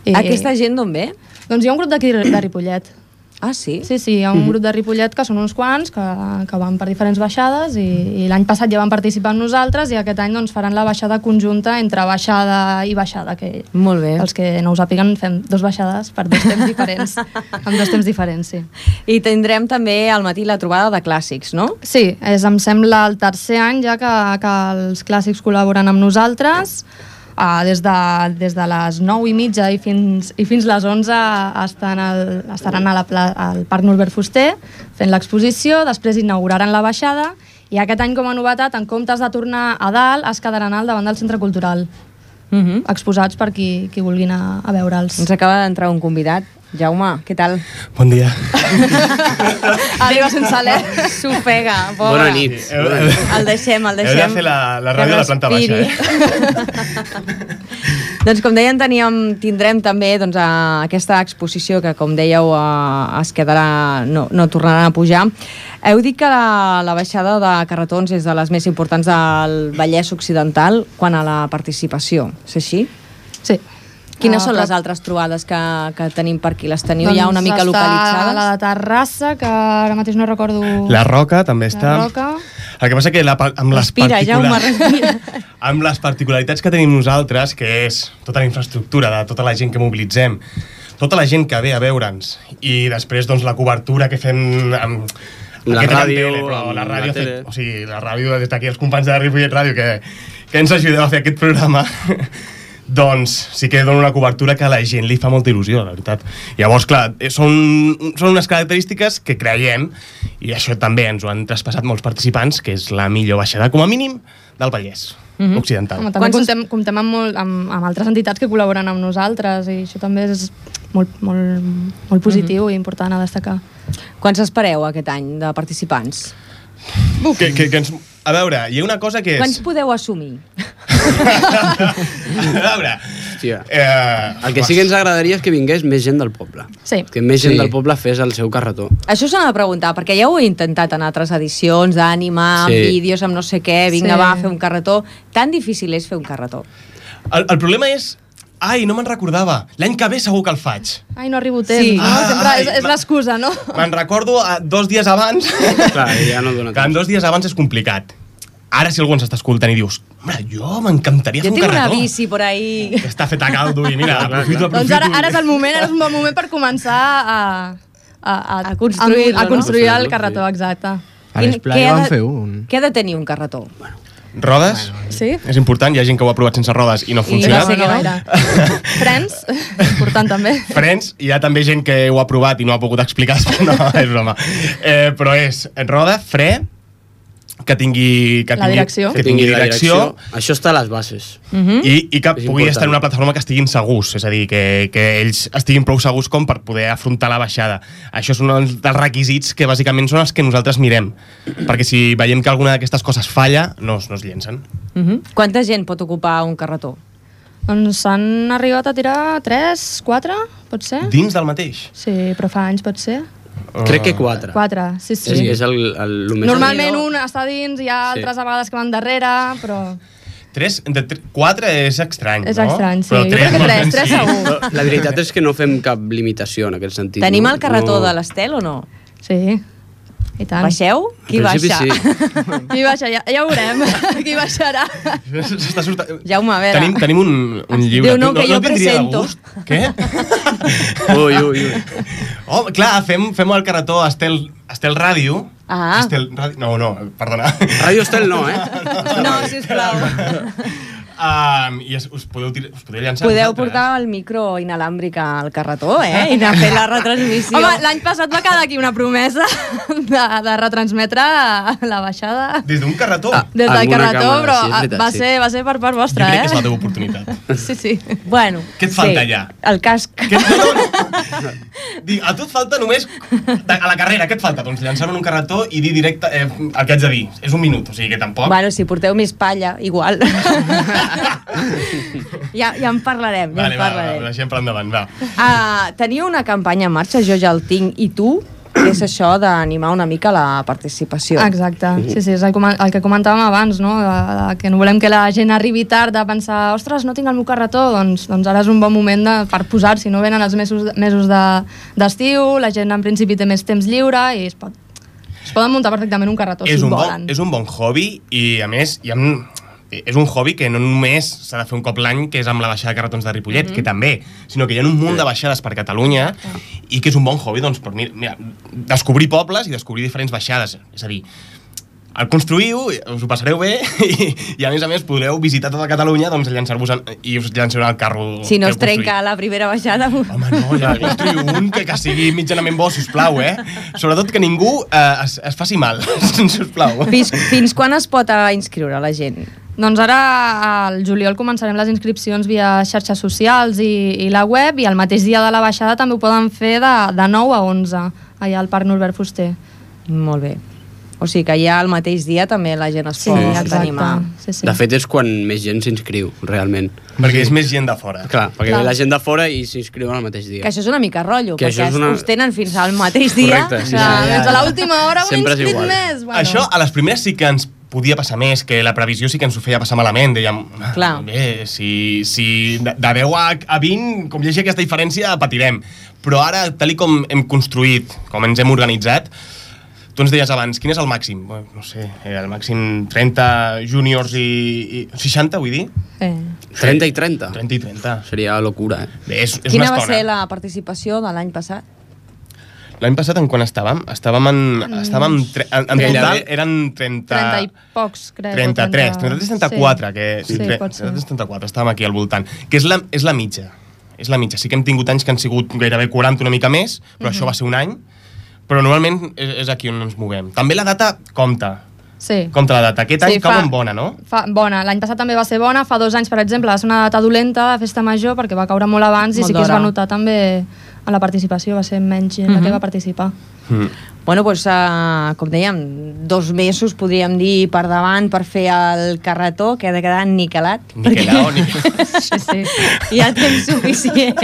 S2: Aquesta gent d'on ve?
S12: Doncs hi ha un grup d'aquí de Ripollet.
S2: Ah, sí?
S12: Sí, hi ha un grup de Ripollet que són uns quants que van per diferents baixades i l'any passat ja van participar amb nosaltres i aquest any doncs, faran la baixada conjunta entre baixada i baixada, que
S2: molt bé.
S12: Els que no ho sàpiguen fem 2 baixades per 2 temps diferents, amb 2 temps diferents, sí.
S2: I tindrem també al matí la trobada de clàssics, no?
S12: Sí, em sembla el tercer any ja que els clàssics col·laboren amb nosaltres. Des de les 9:30 i fins les 11 estaran al Parc Norbert Fuster fent l'exposició, després inauguraran la baixada i aquest any com a novetat, en comptes de tornar a dalt, es quedaran al davant del Centre Cultural, exposats per qui vulgui anar a veure'ls.
S2: Ens acaba d'entrar un convidat. Jaume, què tal?
S15: Bon dia.
S12: Arriba sense alè.
S2: S'ofega, pobre.
S13: Bona nit.
S2: El deixem.
S15: Heu de fer la ràdio a la planta baixa,
S2: Doncs com deien, tindrem també aquesta exposició que, com dèieu, es quedarà, no tornaran a pujar. Heu dit que la baixada de carretons és de les més importants del Vallès Occidental quant a la participació. És així?
S12: Sí.
S2: Quines són les altres trobades que tenim per aquí? Les teniu ja una mica localitzades?
S12: La de Terrassa, que ara mateix no recordo...
S15: La Roca també està.
S12: La Roca.
S15: El que passa que
S2: respira, Jaume, respira.
S15: Amb les particularitats que tenim nosaltres, que és tota la infraestructura de tota la gent que mobilitzem, tota la gent que ve a veure'ns i després doncs, la cobertura que fem amb
S13: la ràdio,
S15: la ràdio des d'aquí els companys de Ripollet Ràdio que ens ajudeu a fer aquest programa. Doncs sí que dona una cobertura que a la gent li fa molta il·lusió, la veritat. Llavors, clar, són unes característiques que creiem, i això també ens ho han traspassat molts participants, que és la millor baixada, com a mínim, del Vallès Occidental.
S12: Home, també comptem amb altres entitats que col·laboren amb nosaltres, i això també és molt positiu i important a destacar.
S2: Quants espereu aquest any de participants?
S15: A veure, hi ha una cosa que és...
S2: Quants podeu assumir?
S15: A veure...
S13: El que sí que ens agradaria és que vingués més gent del poble.
S12: Sí.
S13: Que més gent del poble fes el seu carretó.
S2: Això s'ha de preguntar, perquè ja ho he intentat en altres edicions, d'ànima, amb vídeos, amb no sé què, vinga, va, fer un carretó. Tan difícil és fer un carretó.
S15: El problema és... Ai, no me'n recordava. L'any que ve segur que el faig.
S12: Ai, no arribo temps. Sí. Sempre és l'excusa, no?
S15: Me'n recordo 2 dies abans.
S13: Clar, ja no dona temps.
S15: Que en 2 dies abans és complicat. Ara si algú ens està escoltant i dius jo m'encantaria fer un carretó.
S2: Jo tinc una bici por ahí.
S15: Que està feta a caldo i mira, aprofito.
S12: Doncs ara és el moment, és un bon moment per començar a construir el carretó, exacte.
S14: A l'Esplai vam fer un.
S2: Què ha de tenir un carretó?
S15: Rodes,
S12: sí?
S15: És important, hi ha gent que ho ha provat sense rodes i no ha funcionat.
S12: No. Frens, important també.
S15: Frens, hi ha també gent que ho ha provat i no ha pogut explicar, no, és broma. Però és roda, fre, que tingui direcció.
S13: Això està a les bases.
S15: I que pugui estar en una plataforma que estiguin segurs, és a dir, que ells estiguin prou segurs com per poder afrontar la baixada. Això és un dels requisits que bàsicament són els que nosaltres mirem, perquè si veiem que alguna d'aquestes coses falla, no es llencen.
S2: Quanta gent pot ocupar un carretó?
S12: Doncs s'han arribat a tirar 3, 4, pot ser?
S15: Dins del mateix?
S12: Sí, però fa anys pot ser.
S13: Crec que 4.
S12: 4, sí.
S13: És el més...
S12: Normalment un està dins, hi ha altres vegades que van darrere, però...
S15: 4 és estrany, no?
S12: És estrany, sí.
S15: Jo
S12: crec que 3 segur.
S13: La veritat és que no fem cap limitació en aquest sentit.
S2: Tenim el carretó de l'Estel o no?
S12: Sí. I tant.
S2: Baixeu? Qui baixa?
S13: Sí.
S12: Qui baixa? Ja ho veurem. Qui baixarà?
S2: Jaume, a veure.
S15: Tenim un llibre.
S2: Diu, no, que jo presento.
S15: Què?
S13: Ui.
S15: Oh, clar, fem el carretó Estel Ràdio.
S2: Ah.
S15: No, perdona.
S13: Ràdio Estel no,
S2: No, sisplau.
S15: i us podeu llançar.
S2: Podeu portar el micro inalàmbric al carretó, i anar a fer la retransmissió.
S12: Home, l'any passat va quedar aquí una promesa de retransmetre la baixada.
S15: Des d'un carretó?
S12: Des del carretó, però va ser per part vostra,
S15: Jo crec que és la teva oportunitat.
S12: Sí.
S2: Bueno.
S15: Què et falta ja?
S2: El casc.
S15: A tu et falta només, a la carrera, què et falta? Doncs llançar-me en un carretó i dir directe el que haig de dir. És un minut, o sigui que tampoc...
S2: Bueno, si porteu més palla, igual. Ja en parlarem,
S15: Vale, deixem per endavant, va.
S2: Teniu una campanya en marxa, Jo ja el tinc, i tu, que és això d'animar una mica la participació.
S12: Exacte, sí, és el que comentàvem abans, no? Que no volem que la gent arribi tard a pensar ostres, no tinc el meu carretó, doncs ara és un bon moment per posar-s'hi, no venen els mesos d'estiu, la gent en principi té més temps lliure i es poden muntar perfectament un carretó si volen.
S15: És un bon hobby i, a més, és un hobby que no només s'ha de fer un cop l'any, que és amb la baixada de carretons de Ripollet, que també, sinó que hi ha un munt de baixades per Catalunya i que és un bon hobby, doncs, per descobrir pobles i descobrir diferents baixades. És a dir, el construïu, us ho passareu bé i a més podreu visitar tota Catalunya, doncs llançar-vos i us llançareu al carro.
S2: Si no es trenca la primera baixada...
S15: Home, no, ja construïu un que sigui mitjanament bo, sisplau, Sobretot que ningú es faci mal, sisplau.
S2: Fins quan es pot inscriure la gent?
S12: Doncs ara al juliol començarem les inscripcions via xarxes socials i la web, i el mateix dia de la baixada també ho poden fer de 9 a 11 allà al Parc Norbert Fuster.
S2: Molt bé. O sigui que ja el mateix dia també la gent es pot animar.
S12: Sí.
S13: De fet, és quan més gent s'inscriu, realment.
S15: Perquè és més gent de fora.
S13: Clar, perquè ve la gent de fora i s'inscriuen al mateix dia.
S2: Que això és una mica rotllo, perquè us tenen fins al mateix dia.
S13: Correcte,
S12: sí. Fins a l'última hora ho he inscrit més.
S15: Això, a les primeres sí que ens podia passar més, que la previsió sí que ens ho feia passar malament. Dèiem, bé, si de 10 a 20, com hi hagi aquesta diferència, patirem. Però ara, tal com hem construït, com ens hem organitzat, tu ens deies abans, quin és el màxim? No sé, el màxim 30 júniors i 60, vull dir?
S13: 30 i 30?
S15: 30 i 30.
S13: Seria locura,
S15: Bé, és
S2: Quina va ser la participació de l'any passat?
S15: L'any passat en quan estàvem? En total eren 30
S12: i pocs, crec.
S15: 33-34, que...
S12: Sí, pot ser.
S15: 34, estàvem aquí al voltant. Que és la mitja. És la mitja. Sí que hem tingut anys que han sigut gairebé 40, una mica més, però això va ser un any. Però normalment és aquí on ens movem. També la data compta.
S12: Sí.
S15: Compta la data. Aquest any cau en bona, no?
S12: Bona. L'any passat també va ser bona. Fa 2 anys, per exemple, va ser una data dolenta de festa major perquè va caure molt abans i sí que es va notar també en la participació. Va ser menys gent la que va participar.
S2: Bueno, doncs, com dèiem, 2 mesos, podríem dir, per davant per fer el carretó, que ha de quedar niquelat.
S12: Sí.
S2: Hi ha temps suficient.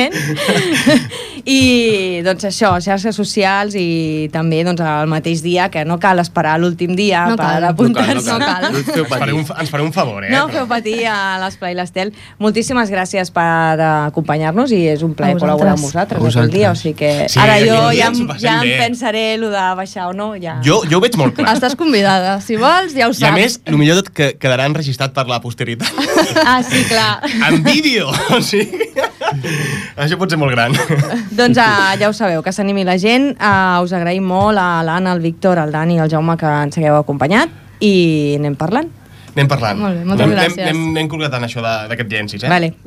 S2: I, doncs, això, xarxes socials i també, doncs, el mateix dia, que no cal esperar l'últim dia per apuntar-se.
S12: No cal.
S15: Ens fareu un favor,
S2: No feu patir a l'Esplai l'Estel. Moltíssimes gràcies per acompanyar-nos i és un plaer col·laborar amb vosaltres aquell dia, o sigui que ara jo ja em pensaré el de baixar o no, ja...
S15: Jo ho veig molt clar.
S12: Estàs convidada, si vols ja ho saps.
S15: I a més, el millor tot que quedarà enregistrat per la posteritat.
S2: Sí, clar.
S15: En vídeo! O sigui, això pot ser molt gran.
S2: Doncs ja ho sabeu, que s'animi la gent. Us agraïm molt a l'Anna, el Víctor, el Dani i el Jaume que ens hagueu acompanyat i anem parlant.
S15: Anem parlant.
S12: Molt bé, moltes gràcies.
S15: Anem concretant això d'aquest llencis,
S2: Vale,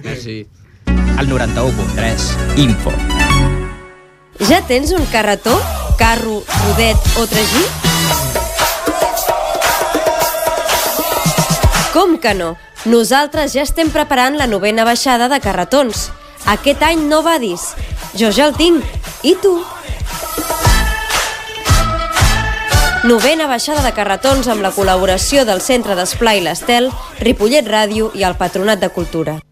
S13: merci.
S1: Al 91.3, Info.
S16: Ja tens un carretó, carro, rodet o tragí? Com que no? Nosaltres ja estem preparant la 9a baixada de carretons. Aquest any no vadis. Jo ja el tinc. I tu? 9a baixada de carretons amb la col·laboració del Centre d'Esplai l'Estel, Ripollet Ràdio i el Patronat de Cultura.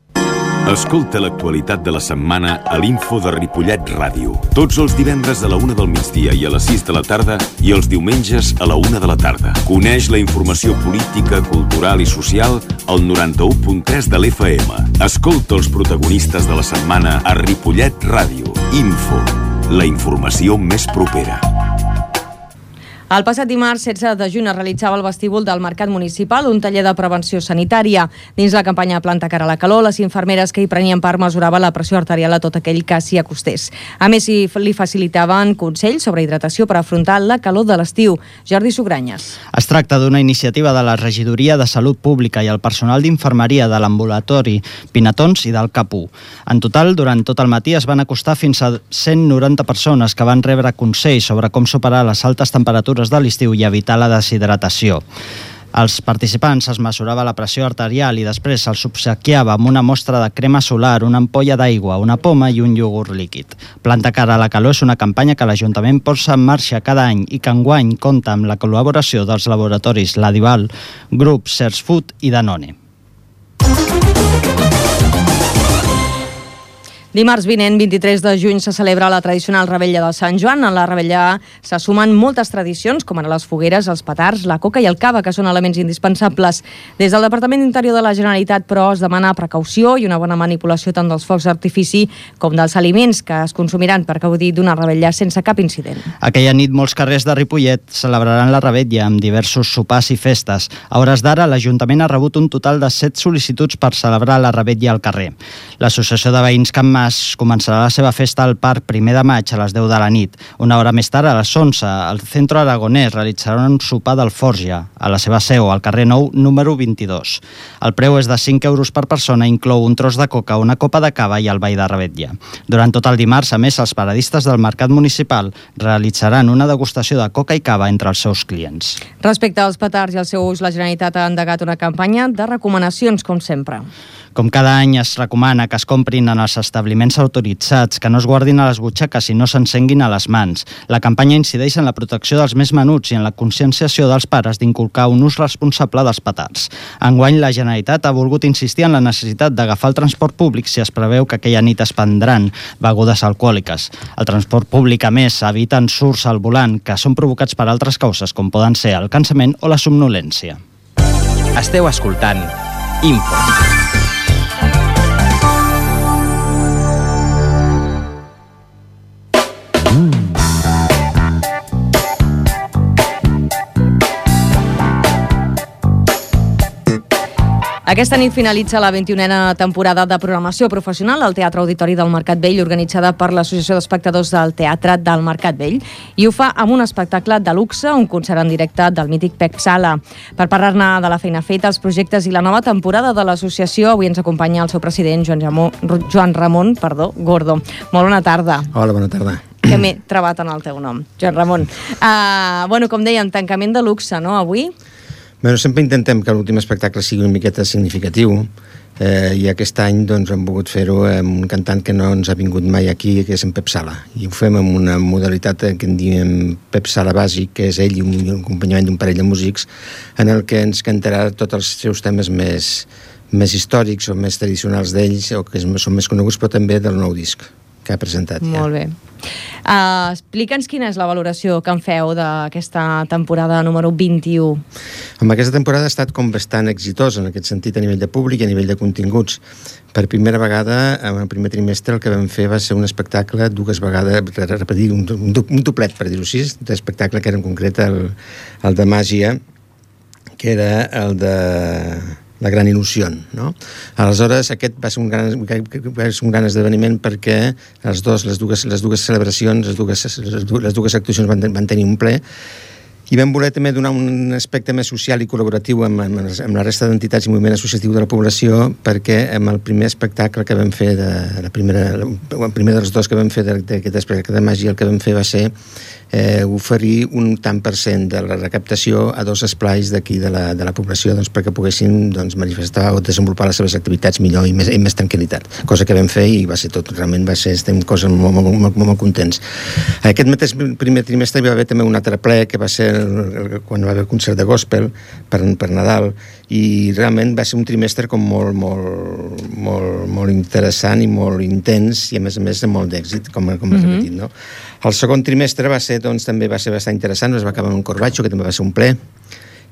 S17: Escolta l'actualitat de la setmana a l'Info de Ripollet Ràdio. Tots els divendres a la 1 del migdia i a les 6 de la tarda i els diumenges a la 1 de la tarda. Coneix la informació política, cultural i social al 91.3 de l'FM. Escolta els protagonistes de la setmana a Ripollet Ràdio. Info, la informació més propera.
S2: El passat dimarts 16 de juny es realitzava al vestíbul del Mercat Municipal un taller de prevenció sanitària. Dins la campanya Planta cara a la calor, les infermeres que hi prenien part mesuraven la pressió arterial a tot aquell que s'hi acostés. A més, li facilitaven consells sobre hidratació per afrontar la calor de l'estiu. Jordi Sugranyes.
S18: Es tracta d'una iniciativa de la Regidoria de Salut Pública i el personal d'infermeria de l'ambulatori Pinatons i del CAP1. En total, durant tot el matí es van acostar fins a 190 persones que van rebre consells sobre com superar les altes temperatures de l'estiu i evitar la deshidratació. Els participants es mesurava la pressió arterial i després se'ls obsequiava amb una mostra de crema solar, una ampolla d'aigua, una poma i un iogurt líquid. Planta cara a la calor és una campanya que l'Ajuntament posa en marxa cada any i que enguany compta amb la col·laboració dels laboratoris Ladival, Grup Search Food i Danone.
S2: Dimarts vinent, 23 de juny, se celebra la tradicional Revetlla de Sant Joan. En la Revetlla se sumen moltes tradicions, com ara les fogueres, els petards, la coca i el cava, que són elements indispensables. Des del Departament d'Interior de la Generalitat, però, es demana precaució i una bona manipulació tant dels focs d'artifici com dels aliments que es consumiran per gaudir d'una Revetlla sense cap incident.
S18: Aquella nit, molts carrers de Ripollet celebraran la Revetlla amb diversos sopars i festes. A hores d'ara, l'Ajuntament ha rebut un total de 7 sol·licituds per celebrar la Revetlla al carrer. L'Associació de Veïns Can Mas començarà la seva festa al Parc 1 de maig a les 10 de la nit. Una hora més tard, a les 11, al Centre Aragonès realitzarà un sopar d'Alforja, a la seva seu, al carrer Nou, número 22. El preu és de 5 euros per persona, inclou un tros de coca, una copa de cava i el ball de Revetlla. Durant tot el dimarts, a més, els paradistes del Mercat Municipal realitzaran una degustació de coca i cava entre els seus clients.
S2: Respecte als petards i al seu ús, la Generalitat ha endegat una campanya de recomanacions, com sempre.
S18: Com cada any es recomana que es comprin en els establiments autoritzats, que no es guardin a les butxaques i no s'encenguin a les mans. La campanya incideix en la protecció dels més menuts i en la conscienciació dels pares d'inculcar un ús responsable dels petards. Enguany, la Generalitat ha volgut insistir en la necessitat d'agafar el transport públic si es preveu que aquella nit es prendran begudes alcohòliques. El transport públic, a més, evita ensurts al volant que són provocats per altres causes, com poden ser el cansament o la somnolència.
S1: Esteu escoltant Info.
S2: Aquesta nit finalitza la 21a temporada de programació professional al Teatre Auditori del Mercat Vell, organitzada per l'Associació d'Espectadors del Teatre del Mercat Vell, i ho fa amb un espectacle de luxe, un concert en directe del mític Pep Sala. Per parlar-ne de la feina feta, els projectes i la nova temporada de l'associació, avui ens acompanya el seu president, Joan Ramon Gordo. Molt bona tarda.
S19: Hola, bona tarda.
S2: Que m'he trebat en el teu nom, Joan Ramon. Com dèiem, tancament de luxe, no, avui?
S19: Bueno, sempre intentem que l'últim espectacle sigui una miqueta significatiu i aquest any doncs, hem volgut fer-ho amb un cantant que no ens ha vingut mai aquí, que és en Pep Sala. I ho fem amb una modalitat que en diem Pep Sala bàsic, que és ell i un acompanyament d'un parell de músics, en el que ens cantarà tots els seus temes més històrics o més tradicionals d'ells, o que són més coneguts, però també del nou disc que ha presentat.
S2: Molt bé. Explica'ns quina és la valoració que en feu d'aquesta temporada número 21.
S19: Aquesta temporada ha estat com bastant exitosa en aquest sentit a nivell de públic i a nivell de continguts. Per primera vegada, en el primer trimestre, el que vam fer va ser un espectacle dues vegades, repetir, un doblet, per dir-ho així, d'espectacle que era en concret el de màgia, que era el de La Gran Il·lusió, no? Aleshores, aquest va ser un gran esdeveniment perquè les dues celebracions, les dues actuacions van tenir un ple, i vam voler també donar un aspecte més social i col·laboratiu amb la resta d'entitats i moviment associatiu de la població, perquè amb el primer espectacle que vam fer, el primer dels dos que vam fer d'aquest espectacle de màgia, el que vam fer va ser oferir un tant per cent de la recaptació a dos esplais d'aquí de la població, doncs, perquè poguessin manifestar o desenvolupar les seves activitats millor i més tranquil·litat, cosa que vam fer i va ser tot, realment estem coses molt contents. Aquest mateix primer trimestre hi va haver també un altre ple que va ser quan va haver concert de gospel per Nadal, i realment va ser un trimestre com molt interessant i molt intens i a més de molt d'èxit, com has repetit, no? El segon trimestre també va ser bastant interessant, es va acabar amb un corbatxo, que també va ser un ple,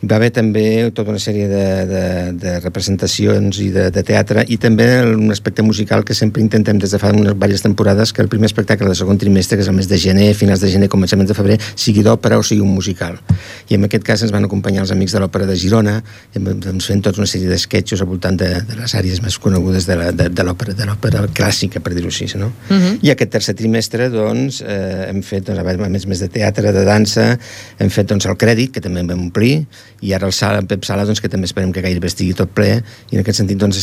S19: Hi va haver també tota una sèrie de representacions i de teatre, i també un aspecte musical que sempre intentem des de fa unes diverses temporades, que el primer espectacle del segon trimestre, que és el mes de gener, finals de gener, començaments de febrer, sigui d'òpera o sigui un musical. I en aquest cas ens van acompanyar els amics de l'Òpera de Girona, fent tota una sèrie d'esquetxos al voltant de les àrees més conegudes de l'òpera clàssica, per dir-ho així, no? I aquest tercer trimestre, doncs, hem fet, a més de teatre, de dansa, hem fet, doncs, el crèdit, que també en vam omplir, i ara el Pep Sala, doncs, que també esperem que gairebé estigui tot ple, i en aquest sentit, doncs,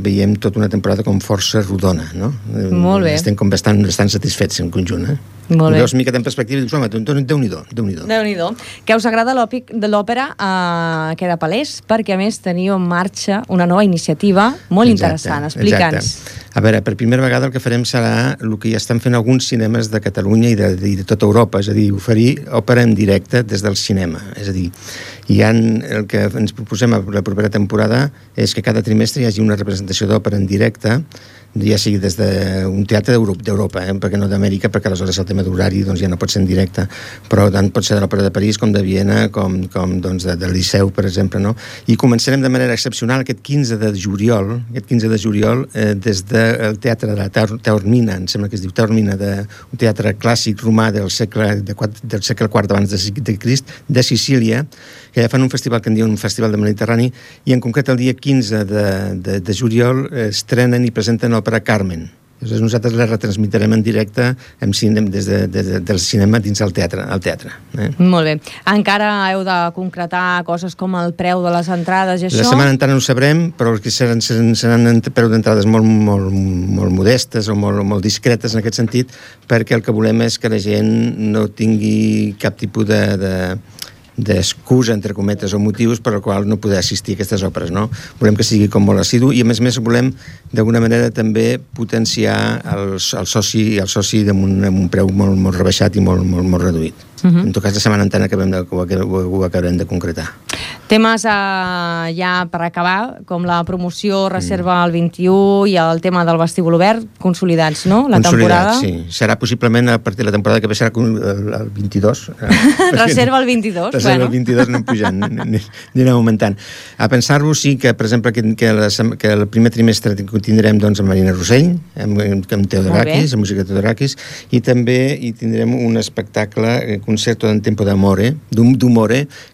S19: veiem tota una temporada com força rodona, no?
S2: Molt bé.
S19: Estem com bastant satisfets en conjunt,
S2: Molt bé.
S19: Veus mica en perspectiva i dius, home, Déu-n'hi-do.
S2: Déu-n'hi-do. Que us agrada l'òpera queda palès, perquè a més teniu en marxa una nova iniciativa molt interessant. Explica'ns.
S19: A veure, per primera vegada el que farem serà el que ja estan fent alguns cinemes de Catalunya i de tota Europa, és a dir, oferir òpera en directe des del cinema. És a dir, el que ens proposem a la propera temporada és que cada trimestre hi hagi una representació d'òpera en directe, ja sigui des d'un teatre d'Europa, perquè no d'Amèrica, perquè aleshores el tema d'horari doncs, ja no pot ser en directe, però tant pot ser de l'Òpera de París com de Viena, com doncs, del Liceu, per exemple, no? I començarem de manera excepcional aquest 15 de juliol, des del teatre de la Taormina, em sembla que es diu Taormina, un teatre clàssic romà del segle IV abans de Crist, de Sicília, que ja fan un festival que en diuen un festival del Mediterrani, i en concret el dia 15 de juliol estrenen i presenten l'òpera Carmen. Llavors nosaltres la retransmitirem en directe des del cinema dins el teatre.
S2: Molt bé. Encara heu de concretar coses com el preu de les entrades i això?
S19: La setmana encara no ho sabrem, però que seran preu d'entrades molt modestes o molt discretes en aquest sentit, perquè el que volem és que la gent no tingui cap tipus d'excusa, entre cometes, o motius per al qual no poder assistir a aquestes òperes, no? Volem que sigui com molt assidu i, a més volem, d'alguna manera, també potenciar el soci amb un preu molt rebaixat i molt reduït. En tot cas, la setmana entrant ho acabarem de concretar.
S2: Temes ja per acabar, com la promoció Reserva el 21 i el tema del vestíbul obert, consolidats, no? La temporada?
S19: Sí. Serà possiblement a partir de la temporada que ve serà el 22.
S2: Reserva el 22.
S19: Reserva el 22 anem pujant, anirem augmentant. A pensar-ho, sí que, per exemple, que el primer trimestre tindrem doncs amb Marina Rossell, amb Teodorakis, amb música de Teodorakis, i també hi tindrem un espectacle, Concerto en Tempo d'Amore,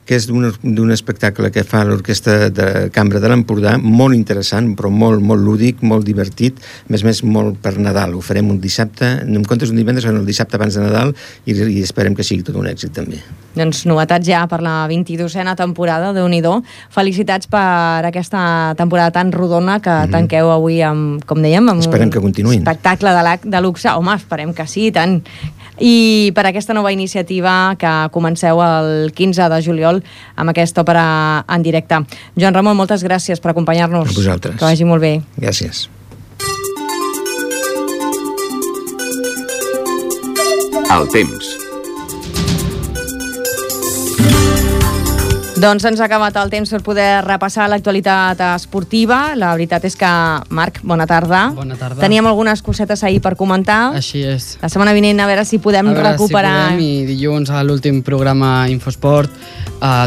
S19: que és d'un espectacle que fa l'Orquestra de Cambra de l'Empordà, molt interessant, però molt lúdic, molt divertit, a més molt per Nadal. Ho farem un dissabte, en comptes d'un divendres, el dissabte abans de Nadal, i esperem que sigui tot un èxit també.
S2: Doncs novetats ja per la 22a temporada, Déu-n'hi-do. Felicitats per aquesta temporada tan rodona que tanqueu avui amb, com dèiem, amb
S19: esperem que continuïn.
S2: Espectacle de luxe. Home, esperem que sí, tant. I per aquesta nova iniciativa que comenceu el 15 de juliol amb aquesta òpera en directe. Joan Ramon, moltes gràcies per acompanyar-nos.
S19: A vosaltres.
S2: Que vagi molt bé.
S19: Gràcies.
S17: El temps.
S2: Doncs ens ha acabat el temps per poder repassar l'actualitat esportiva. La veritat és que, Marc, bona tarda.
S13: Bona tarda.
S2: Teníem algunes cosetes ahir per comentar.
S13: Així és.
S2: La setmana vinent a veure si podem recuperar...
S13: I dilluns a l'últim programa Infosport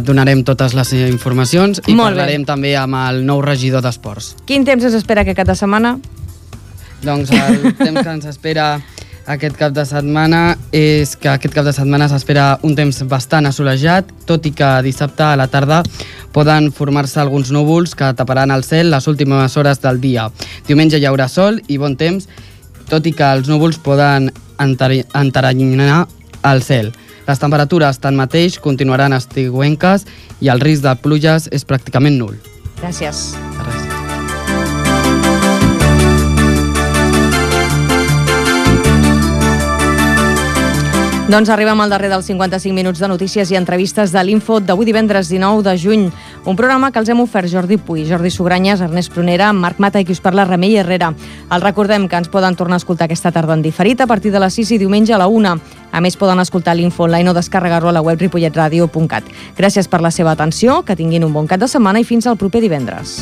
S13: donarem totes les informacions i parlarem també amb el nou regidor d'Esports.
S2: Quin temps ens espera aquest cap de setmana?
S13: Doncs el temps que ens espera aquest cap de setmana és que aquest cap de setmana s'espera un temps bastant assolejat, tot i que dissabte a la tarda poden formar-se alguns núvols que taparan el cel les últimes hores del dia. Diumenge hi haurà sol i bon temps, tot i que els núvols poden enteranyar el cel. Les temperatures, tanmateix, continuaran estiuenques i el risc de pluges és pràcticament nul.
S2: Gràcies. Doncs arribem al darrer dels 55 minuts de notícies i entrevistes de l'Info d'avui divendres 19 de juny. Un programa que els hem ofert Jordi Puy, Jordi Sugranyes, Ernest Prunera, Marc Mata i qui us parla, Remei Herrera. Els recordem que ens poden tornar a escoltar aquesta tarda en diferit a partir de les 6 i diumenge a la 1. A més, poden escoltar l'Info online o descarregar-lo a la web ripolletradio.cat. Gràcies per la seva atenció, que tinguin un bon cap de setmana i fins al proper divendres.